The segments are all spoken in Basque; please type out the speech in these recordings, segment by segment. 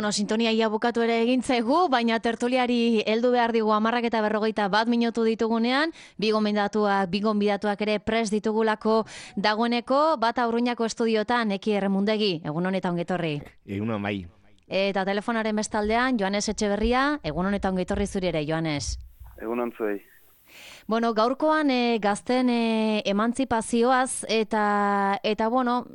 Bueno, sintonia ia bukatu ere egin zaigu, baina tertuliari heldu behar digu 10:41 ditugunean, bi gonbidatuak ere prest ditugulako dagoeneko, bat Aurruñako estudiotan, Eki Erremundegi, egun honetan ongetorri. Egun bai. Eta telefonaren bestaldean, Joanes Etxeberria, egun honetan ongetorri zuri ere, Joanes. Egun ontzuei. Bueno, gaurkoan gazten emantzipazioaz eta bueno,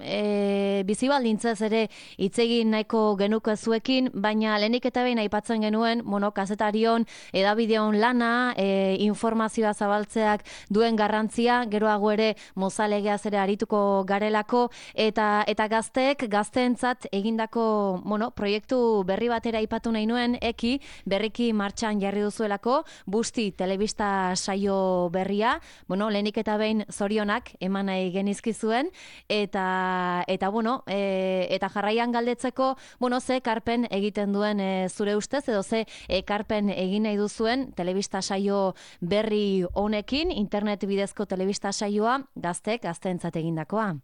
bizi baldintzaz ere hitz egin nahiko genuke zuekin, baina lehenik eta behin aipatzen genuen, bueno, kazetarion, edabideon lana, informazioa zabaltzeak duen garrantzia, geroago ere mozalegeaz ere arituko garelako, eta gazteek, gazteentzat egindako, bueno, proiektu berri batera aipatu nahi nuen, Eki, berriki martxan jarri duzuelako, Busti telebista saio berria, bueno, lehenik eta behin zorionak eman nahi genizkizuen, eta bueno, eta jarraian galdetzeko, bueno, ze ekarpen egiten duen zure ustez, edo ze ekarpen egin nahi duzuen telebista saio berri honekin, internet bidezko telebista saioa, gazteentzat egindakoa.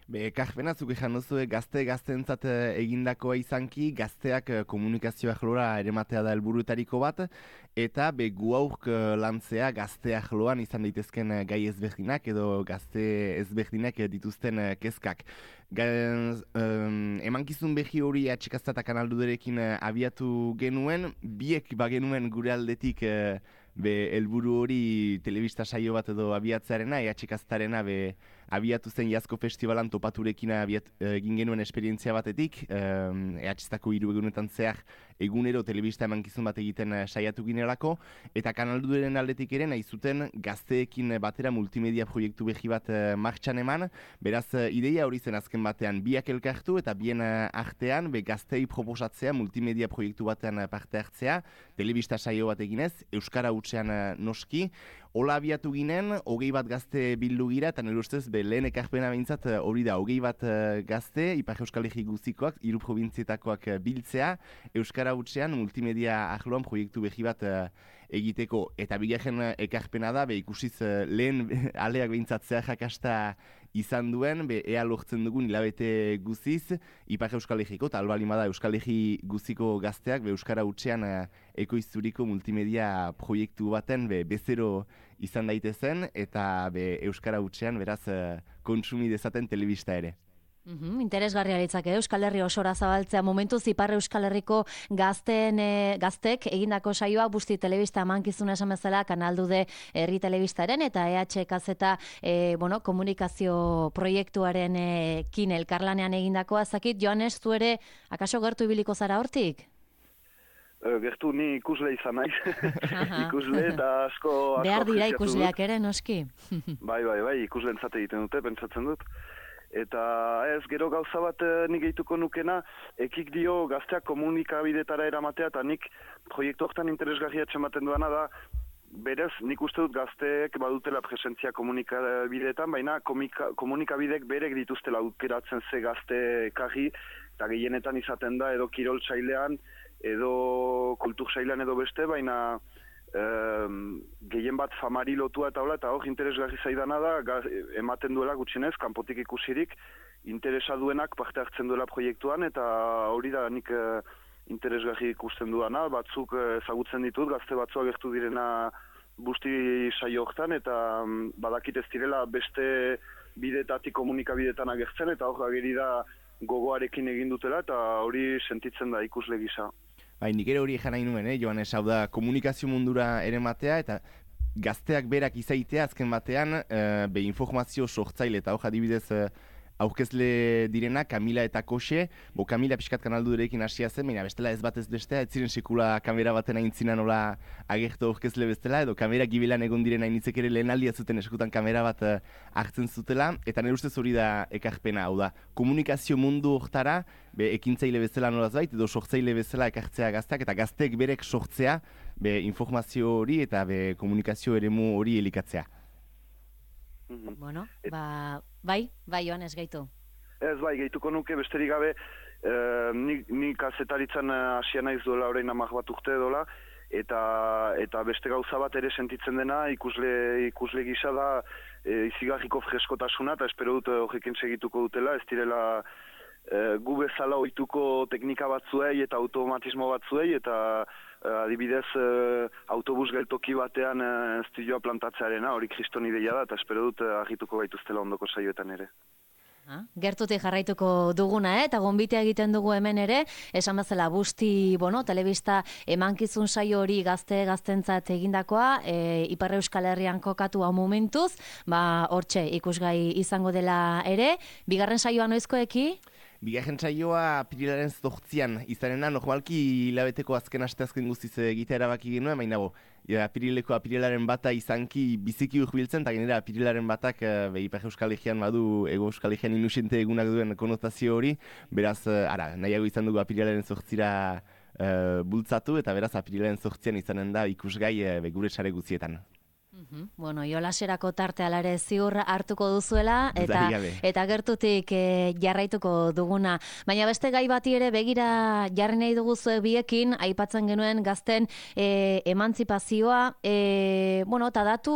Ekarpena zuk ejan duzu gazteentzat egindakoa izanki, gazteak komunikazioa jlora erematea da helburuetariko bat, eta gu aurk lantzea gazteak jloan izan daitezken gai ezberdinak edo gazte ezberdinak dituzten kezkak. Emankizun behi hori atxikazta kanalduderekin abiatu genuen, biek bagenuen gure aldetik helburu hori telebista saio bat edo abiatzearena, atxikaztarena abiatu zen Iazko Festivalan topaturekin egin genuen esperientzia batetik, EHZako 3 egunetan zehar egunero telebista emankizun bat egiten saiatu ginelako, eta kanalduderen aldetik ere nahi zuten gazteekin batera multimedia proiektu behi bat martxan eman, beraz ideia hori zen azken batean biak elkartu eta bien artean gaztei proposatzea multimedia proiektu batean parte hartzea, telebista saio bat eginez, Euskara hutsean noski. Hola abiatu ginen, 21 gazte bildu gira, eta nire ustez, lehen ekarpena behintzat hori da, 21 gazte, Ipar Euskal Herri guztikoak, 3 probintzietakoak biltzea, Euskara hutsean multimedia ahloan proiektu behi bat egiteko. Eta bigarren ekarpena da, ikusiz lehen aleak behintzat jakasta izan duen, ea lortzen dugun hilabete guziz, Ipar Euskal Herriko, eta albalimada Euskal Herri guziko gazteak, Euskara hutsean ekoizturiko multimedia proiektu baten bezero izan daitezen, eta Euskara hutsean beraz kontsumi dezaten telebista ere. Interesgarria litzake Euskal Herri osora zabaltzea momentuz Ipar Euskal Herriko gaztek egindako saioa Busti telebista emankizuna esan bezala kanaldude herri telebistaren eta EHKZ bueno, komunikazio proiektuaren kin elkarlanean egindakoa. Zakit, Joanes, zu ere akaso gertu ibiliko zara hortik? Gertu ni ikusle izan naiz. Ikusle eta asko behar dira ikusleak ere, noski. Bai, ikusleentzat egiten dute, pentsatzen dut. Eta ez, gero gauza bat nik gehituko nukena, ekik dio gazteak komunikabidetara eramatea, eta nik proiektu horretan interesgarria txematen duana da, berez, nik uste dut gazteek badutela presentzia komunikabideetan, baina komunikabidek berek dituztela aukeratzen ze gazte ekarri, eta gehienetan izaten da, edo kirol sailean, edo kultur sailean edo beste, baina gehien bat famari lotua eta hola, eta hor interesgarri zaidana da, ematen duela gutxinez, kanpotik ikusirik, interesa duenak parte hartzen duela proiektuan, eta hori da nik interesgarri ikusten duana, batzuk ezagutzen ditut, gazte batzuk agertu direna Busti saio hortan, eta badakit ez direla beste bidetatik komunikabidetan agertzen, eta hor ageri da gogoarekin egin dutela, eta hori sentitzen da ikusle gisa. Nik ere hori ejan nahi nuen, Joanes, hau da komunikazio mundura ere matea, eta gazteak berak izaitea azken batean, informazio sortzaile, eta hor adibidez aurkezle direna, Kamila eta Koxe, Kamila pixkat kanaldurekin hasia zen, baina bestela ez batez bestea, ez ziren sekula kamera baten aintzina nola agertu aurkezle bestela, edo kamera gibelan egon direna initzek ere lehen aldia zuten eskutan kamera bat hartzen zutela, eta nire ustez hori da ekarpena, hau da, komunikazio mundu hortara, ekintzaile bezala nolaz bait, edo sortzaile bezala ekartzea gazteak, eta gazteek berek sortzea, informazio hori eta komunikazio eremu hori elikatzea. Bueno, bai, Joanes, gaitu. Ez bai, gehituko nuke, besterik gabe, ni kazetaritzan hasia naiz duela orain 10 bat urte dola, eta beste gauza bat ere sentitzen dena, ikusle gisa da izigarriko freskotasuna, eta espero dut horrekin segituko dutela, ez direla gu bezala ohituko teknika batzuei eta automatismo batzuei eta adibidez autobus geltoki batean estudioa plantatzearena, hori kriston ideia da eta espero dut argituko gaituztela ondoko saioetan ere. Gertutik jarraituko duguna, eta gonbitea egiten dugu hemen ere, esan bezala Busti, telebista emankizun saio hori gaztentzat egindakoa, Ipar Euskal Herrian kokatua momentuz, hortxe ikusgai izango dela ere, bigarren saioa noizkoeki? Bigarren saioa apirilaren 8an izanena, normalki hilabeteko azken asteazken guztiz egitea erabaki genuen, baina apirilaren bata izanki biziki urbiltzen, eta genera apirilaren batak Ipar Euskal Herrian badu Ego Euskal Herrian inusente egunak duen konotazio hori, beraz, nahiago izan dugu apirilaren 8ra bultzatu, eta beraz apirilaren 8an izanen da ikusgai gure sare guztietan. Jolaserako tarte alare ziur hartuko duzuela eta gertutik jarraituko duguna. Baina beste gai bati ere begira jarri nahi dugu zuek biekin, aipatzen genuen gazten emantzipazioa, eta datu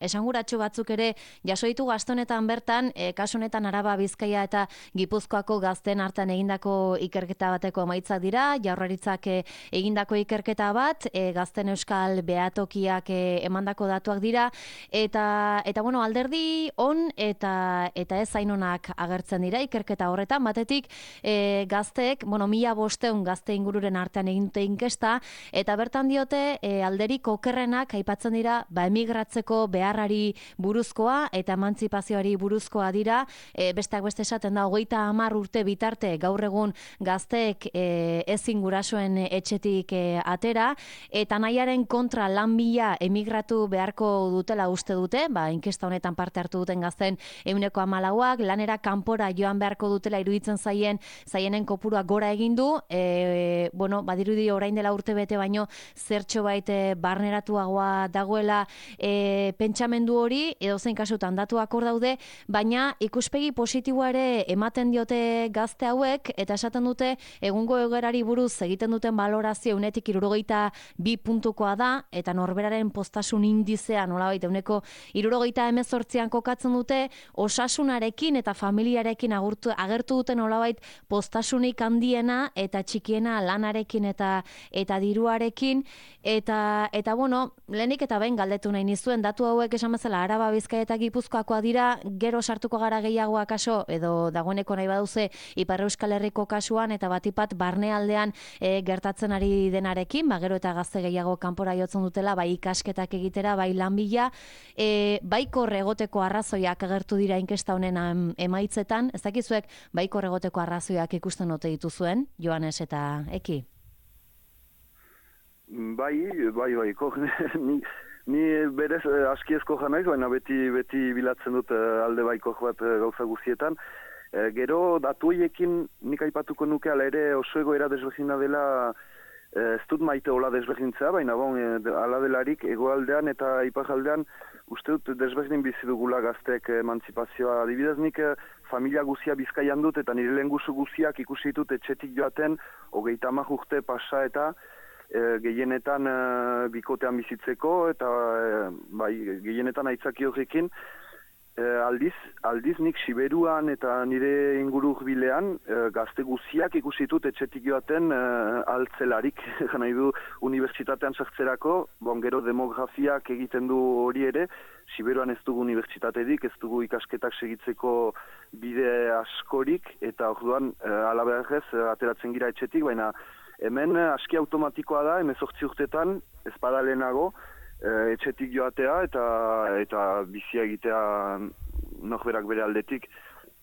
esanguratsu batzuk ere jaso ditu gaztonetan bertan, kasu honetan Araba, Bizkaia eta Gipuzkoako gazten hartan egindako ikerketa bateko emaitzak dira, Jaurlaritzak egindako ikerketa bat, gazten euskal behatokiak emandako datuak dira, eta alderdi on eta ez zainonak agertzen dira ikerketa horretan, batetik gazteek, 1500 gazte ingururen artean egin dute inkesta, eta bertan diote alderik okerrenak aipatzen dira emigratzeko beharrari buruzkoa eta emantzipazioari buruzkoa dira, besteak beste esaten da 30 urte bitarte gaur egun gazteek ezin gurasoen etxetik atera, eta nahiaren kontra lan bila emigratu beharko dutela uste dute, inkesta honetan parte hartu duten gazten 14%, lanera kanpora joan beharko dutela iruditzen zaienen kopurua gora egin du, badirudi orain dela urte bete baino zertxo bait barneratuagoa dagoela pentsamendu hori, edozein kasutan datuak hor daude, baina ikuspegi positiboa ere ematen diote gazte hauek, eta esaten dute egungo egoerari buruz egiten duten balorazio 72 puntukoa da, eta norberaren postasun indizea nolabait 78an kokatzen dute, osasunarekin eta familiarekin agertu duten nolabait postasunik handiena eta txikiena lanarekin eta diruarekin, eta lehenik eta behin galdetu nahi nizuen, datu hauek esan bezala Araba, Bizkaia eta Gipuzkoakoa dira, gero sartuko gara gehiagoa kaso, edo dagoeneko nahi baduze Ipar Euskal Herriko kasuan, eta batipat barnealdean gertatzen ari denarekin, gero eta gazte gehiago kanpora jotzen dutela, bai ikasketak egitera, bai lanbila, baikor egoteko arrazoiak agertu dira inkesta honen emaitzetan, ez dakizuek baikor egoteko arrazoiak ikusten ote dituzuen, Joanes eta Eki? Bai, ni berez askiezko janaiz, baina beti bilatzen dut alde baiko bat gauza guztietan. Gero datu horiekin nik aipatuko nuke ala ere oso egoera desberdina dela, ez dut maite hola desberdintzea, baina ala delarik egoaldean eta iparraldean uste dut desberdin bizi dugula gazteek emantzipazioa. Adibidez nik familia guzia Bizkaian dut eta nire lehengusu guziak ikusi ditut etxetik joaten 30 urte pasa eta gehienetan bikotean bizitzeko eta gehienetan aitzaki horrekin. Aldiz nik Siberuan eta nire inguru hurbilean gazte guziak ikusi ditut etxetik joaten altzelarik, nahi du unibertsitatean sartzerako, gero demografiak egiten du hori ere, Siberuan ez dugu unibertsitaterik, ez dugu ikasketak segitzeko bide askorik, eta orduan alabeharrez ateratzen gira etxetik, baina hemen aski automatikoa da, 18 urtetan, ez bada lehenago, etxetik joatea eta bizia egitea norberak bere aldetik.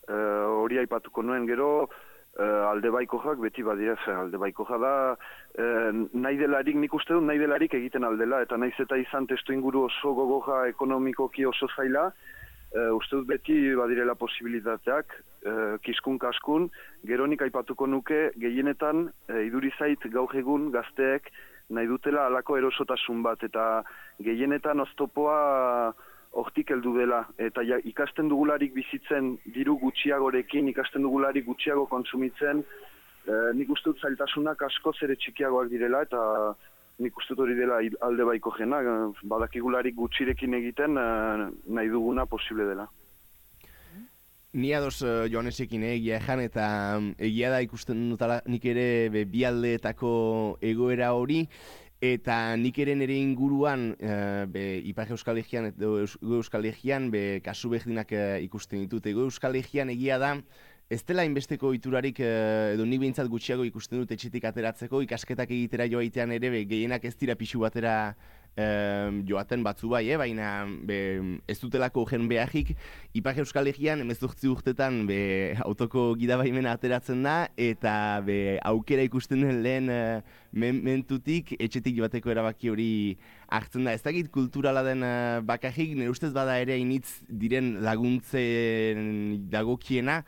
Hori aipatuko nuen gero, alde baikojak beti badira, alde baikoja da, nahi delarik, nik uste dut nahi delarik egiten aldela, eta naiz eta izan testu inguru oso gogoja ekonomikoki oso zaila, uste dut beti badirela posibilitateak, kiskun kaskun, gero nik aipatuko nuke gehienetan idurizait gaur egun gazteek nahi dutela alako erosotasun bat, eta gehienetan oztopoa hortik heldu dela, eta ikasten dugularik bizitzen diru gutxiagorekin, ikasten dugularik gutxiago kontsumitzen, nik uste dut zailtasunak askoz ere txikiagoak direla, eta nik uste dut hori dela alde baiko jena, badakigularik gutxirekin egiten nahi duguna posible dela. Ni ados Joanesekin egia ejan, eta egia da ikusten dutala nik ere bi aldeetako egoera hori, eta nik ere nire inguruan Ipar Euskal Herrian eta Ego Euskal Herrian kasu berdinak ikusten ditut. Ego Euskal Herrian egia da, ez dela inbesteko iturarik, edo nik behintzat gutxiago ikusten dut etxetik ateratzeko, ikasketak egitera joaitean ere, gehienak ez dira pixu batera joaten batzu bai, baina ez dutelako gen beharrik. Ipar Euskal Herrian 18 urtetan autoko gidabaimena ateratzen da, eta aukera ikusten den lehen mentutik etxetik joateko erabaki hori hartzen da. Ez dakit kulturala den bakarrik, nire ustez bada ere initz diren laguntzen dagokiena.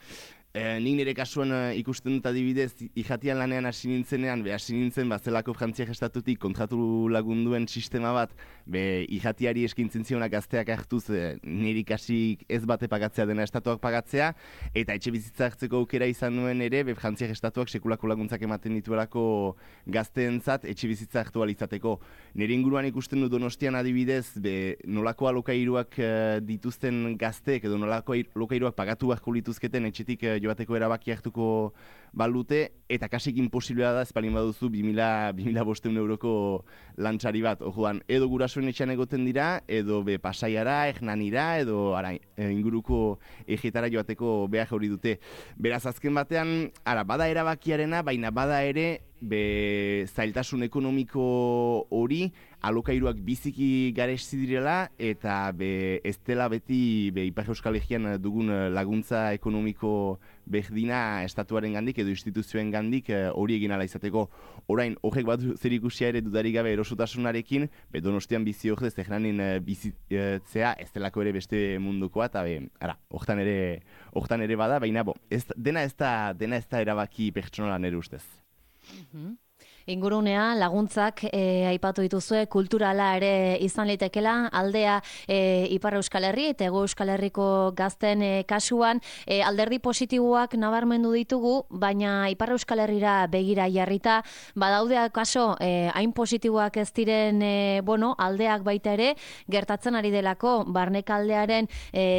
Nik nire kasuan ikusten dut adibidez, ijatian lanean hasi nintzenean, hasi nintzen zelako Frantziak estatutik kontratu lagunduen sistema bat, ijatiari eskintzen zionak gazteak hartuz, nire ikasik ez bate pagatzea dena estatuak pagatzea, eta etxe bizitza hartzeko aukera izan nuen ere, Frantziak estatuak sekulako laguntzak ematen dituelako gazteentzat etxe bizitza hartu alizateko. Nire inguruan ikusten dut Donostian adibidez, nolako alokairuak dituzten gazteek, edo nolako alokairuak pagatu beharko lituzketen etxetik joateko erabaki hartuko balute, eta kasik imposiblea da espalin baduzu 2.500 euroko lantxari bat. Orduan, edo gurasoen etxean egoten dira, edo Pasaiara, Hernanira, edo inguruko egetara joateko behar hori dute. Beraz, azken batean, bada erabakiarena, baina bada ere, zailtasun ekonomiko hori, alokairuak biziki garesti direla, eta ez dela beti Ipar Euskal Herrian dugun laguntza ekonomiko berdina estatuaren gandik edo instituzioen gandik hori egin ala izateko. Orain, horrek bat zer ikusia ere dudarik gabe erosotasunarekin, Donostian bizi hor ez Teheranin bizitzea ez delako ere beste mundukoa, eta hortan ere bada, baina dena ez da erabaki pertsonala nire ustez. Ingurunea, laguntzak aipatu dituzue, kulturala ere izan litekela, aldea Ipar Euskal Herri eta Hego Euskal Herriko gazten kasuan, alderdi positiboak nabarmendu ditugu, baina Ipar Euskal Herrira begira jarrita, badaude kaso hain positiboak ez diren aldeak baita ere, gertatzen ari delako, barnekaldearen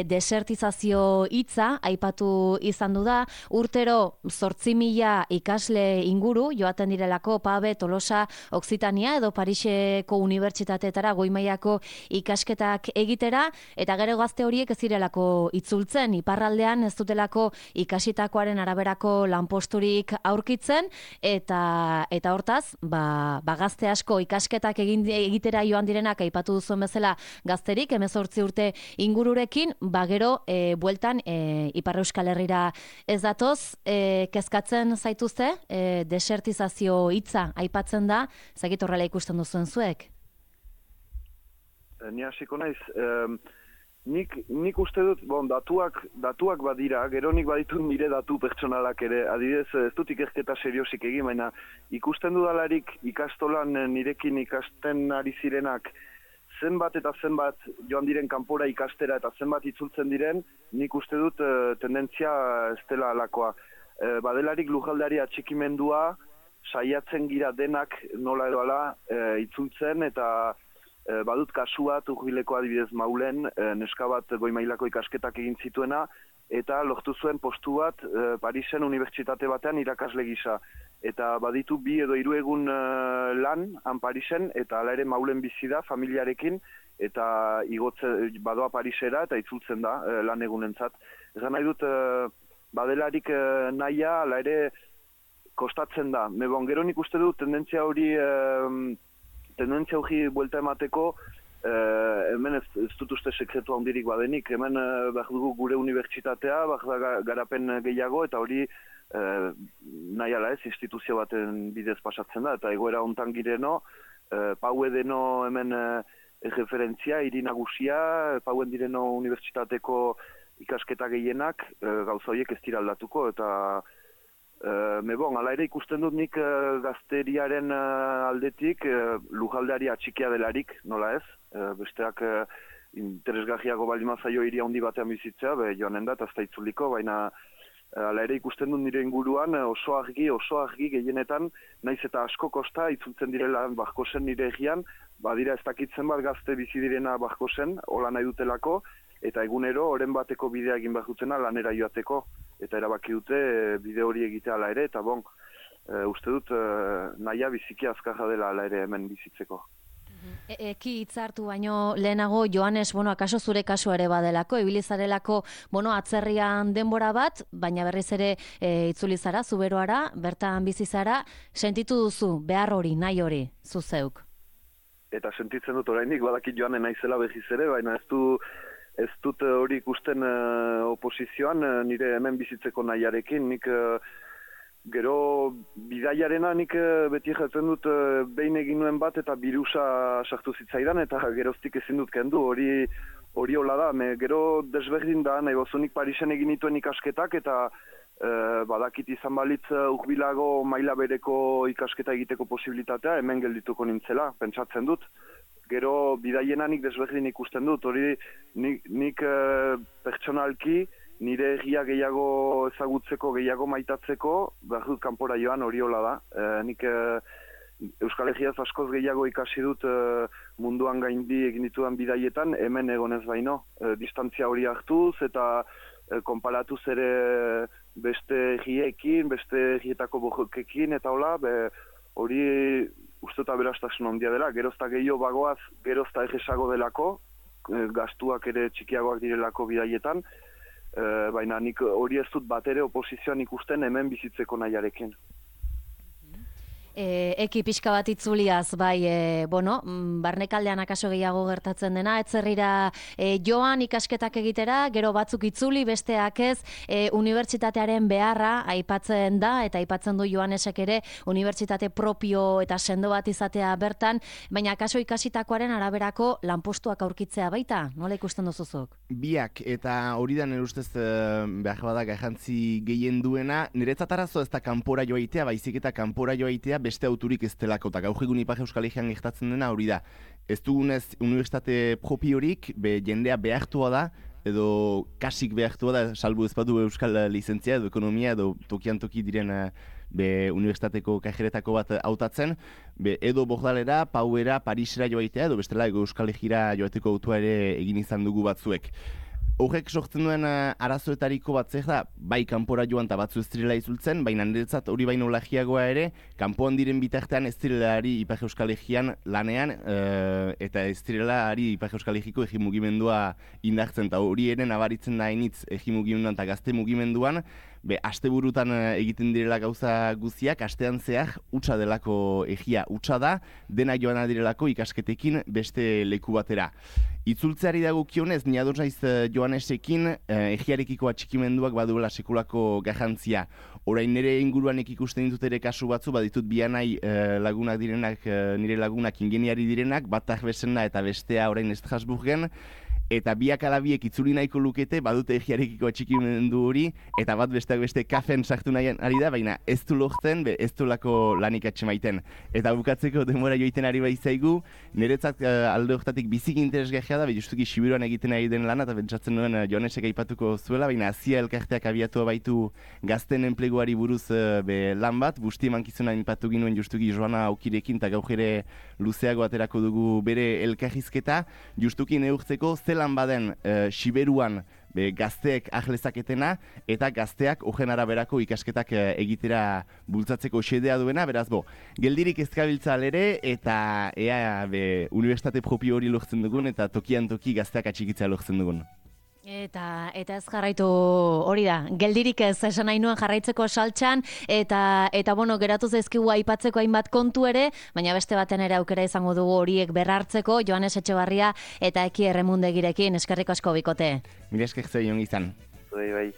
desertizazio hitza aipatu izan du da, urtero 8.000 ikasle inguru joaten direlako Pabe, Tolosa, Occitania edo Pariseko unibertsitateetara goi-mailako ikasketak egitera, eta gero gazte horiek ez direlako itzultzen, iparraldean ez dutelako ikasitakoaren araberako lanposturik aurkitzen, eta hortaz, gazte asko ikasketak egitera joan direnak aipatu duzuen bezala gazterik, 18 urte ingururekin, gero bueltan Ipar Euskal Herrira ez datoz, kezkatzen zaituzte, desertizazio hitza aipatzen da, zakit horrela ikusten duzuen zuek? Ni hasiko naiz, nik uste dut, datuak badira, gero nik baditut nire datu pertsonalak ere, adibidez, ez dut ikerketa seriosik egin, baina ikusten dudalarik ikastolan nirekin ikasten ari zirenak, zenbat eta zenbat joan diren kanpora ikastera eta zenbat itzultzen diren, nik uste dut tendentzia ez dela alakoa. Badelarik lujaldeari atxikimendua, saiatzen gira denak nola edo ala itzultzen, eta badut kasu bat urbileko adibidez Maulen, neska bat goi-mailako ikasketak egin zituena, eta lortu zuen postu bat Parisen unibertsitate batean irakasle gisa. Eta baditu 2 edo 3 egun lan han Parisen, eta hala ere Maulen bizi da familiarekin, eta badoa Parisera eta itzultzen da lan egunentzat. Egan nahi dut, badelarik nahia, hala ere kostatzen da. Gero nik uste dut tendentzia hori buelta emateko, hemen ez dut uste sekretu handirik badenik, hemen behar dugu gure unibertsitatea, behar da garapen gehiago, eta hori nahi ala ez, instituzio baten bidez pasatzen da, eta egoera hontan gireno, Paue deno hemen referentzia, hiri nagusia, Pauen direno unibertsitateko ikasketa gehienak, gauza horiek ez dira aldatuko, eta hala ere ikusten dut nik gazteriaren aldetik lujaldeari atxikia delarik, nola ez? Besteak interesgarriago baldin mazaio hiri handi batean bizitzea, joanen da, eta ez da itzuliko, baina Hala ere ikusten dut nire inguruan oso argi gehienetan, naiz eta asko kosta itzultzen direla Barkosen nire egian, badira ez dakitzen bat gazte bizi direna Barkosen, hola nahi dutelako, eta egunero oren bateko bidea egin behar dutena lanera joateko, eta erabaki dute bide hori egitea hala ere, eta uste dut nahia biziki azkarra dela hala ere hemen bizitzeko. Eki hitzartu baino lehenago, Joanes, akaso zure kasu ere badelako, ibilizarelako, atzerrian denbora bat, baina berriz ere itzuli zara, Zuberoara, bertan bizi zara, sentitu duzu, behar hori, nahi hori, zu zeuk? Eta sentitzen dut orainik, badakit joanen naizela behiz ere, baina ez dut hori ikusten oposizioan nire hemen bizitzeko nahiarekin, nik gero bidaiarena nik beti jatzen dut behin egin nuen bat eta birusa sartu zitzaidan eta geroztik ezin dut kendu, hori hola da, gero desberdin da, nahi bozunik Parisen egin nituen ikasketak eta badakit izan balitz urbilago maila bereko ikasketa egiteko posibilitatea hemen geldituko nintzela, pentsatzen dut. Gero bidaiena nik desberdin ikusten dut, hori nik pertsonalki nire egia gehiago ezagutzeko, gehiago maitatzeko, behar dut kanpora joan hori hola da. Nik Euskal Herriaz askoz gehiago ikasi dut munduan gaindi egin ditudan bidaietan, hemen egonez baino. Distantzia hori hartuz eta konparatuz ere beste egiekin, beste egietako bojokekin eta hola, hori uste eta berastasun handia dela. Gerozta gehiago bagoaz, gerozta egesago delako, gastuak ere txikiagoak direlako bidaietan, baina nik hori ez dut bat ere oposizioan ikusten hemen bizitzeko nahiarekin. Eki pixka bat itzuliaz, barnekaldean akaso gehiago gertatzen dena, etzerrira joan ikasketak egitera, gero batzuk itzuli, besteak ez, unibertsitatearen beharra aipatzen da, eta aipatzen du Joanesek ere, unibertsitate propio eta sendo bat izatea bertan, baina akaso ikasitakoaren araberako lanpostuak aurkitzea baita, nola ikusten duzuzuk? Biak, eta hori da nire ustez behar badak jantzi gehien duena, niretzat arazo ez da kanpora joaitea, baizik eta kanpora joaitea beste auturik ez delako, eta gaur egun Ipar Euskal Herrian gertatzen dena hori da. Ez dugunez unibertsitate propiorik, jendea behartua da, edo kasik behartua da, salbu ez badu Euskal lizentzia, edo ekonomia, edo tokian toki diren unibertsitateko kajeretako bat hautatzen, edo Bordalera, Pauera, Parisera joaitea, edo bestela Euskal Herrira joateko autua ere egin izan dugu batzuek. Horrek sortzen duen arazoetariko bat zer da, bai kanpora joan eta batzu ez direla izultzen, baina niretzat hori baino lagiagoa ere, kanpoan diren bitartean ez direla ari Ipar Euskal Herrian lanean, eta ez direla ari Ipar Euskal Herriko egi mugimendua indartzen, eta hori ere nabaritzen da hainitz egi mugimenduan eta gazte mugimenduan, asteburutan egiten direla gauza guziak, astean zehar utza delako egia utza da, dena joan direlako ikasketekin beste leku batera. Itzultzeari dagokionez, ni ados naiz Joanesekin egiarekiko atxikimenduak baduela sekulako garrantzia. Orain nire inguruan ikusten ditut ere kasu batzu, baditut bianai lagunak direnak, nire lagunak ingeniari direnak, bat Arbesena eta bestea orain Estrasburgen, eta biak alabiek itzuli nahiko lukete, badute egiarekiko atxikimendu hori, eta bat besteak beste kafen sartu nahian ari da, baina ez du lortzen, ez du lako lanik atxemaiten. Eta bukatzeko denbora joiten ari baizaigu, niretzat alde horretatik bizik interesgarria da, justuki Sibiruan egiten ari den lana, eta pentsatzen nuen Joanesek aipatuko zuela, baina Azia elkarteak abiatu baitu gazten enpleguari buruz lan bat, busti emankizuna aipatu ginuen justuki Joana Aukirekin, eta gaur ere luzeago aterako dugu bere elkarrizketa, justuki neurtzeko zelan baden Siberuan gazteek ahlezaketena eta gazteak horren araberako ikasketak egitera bultzatzeko xedea duena, beraz geldirik ezkabiltza ere eta ea unibertsitate propio hori lortzen dugun eta tokian toki gazteak atxikitzea lortzen dugun. Eta ez jarraitu hori da, geldirik ez esan nahi nuen jarraitzeko saltxan, eta geratu zaizkigu aipatzeko hainbat kontu ere, baina beste baten ere aukera izango dugu horiek berrartzeko, Joanes Etxebarria eta Eki Erremundegirekin, eskerrik asko bikote. Mila esker zeion izan. Bai.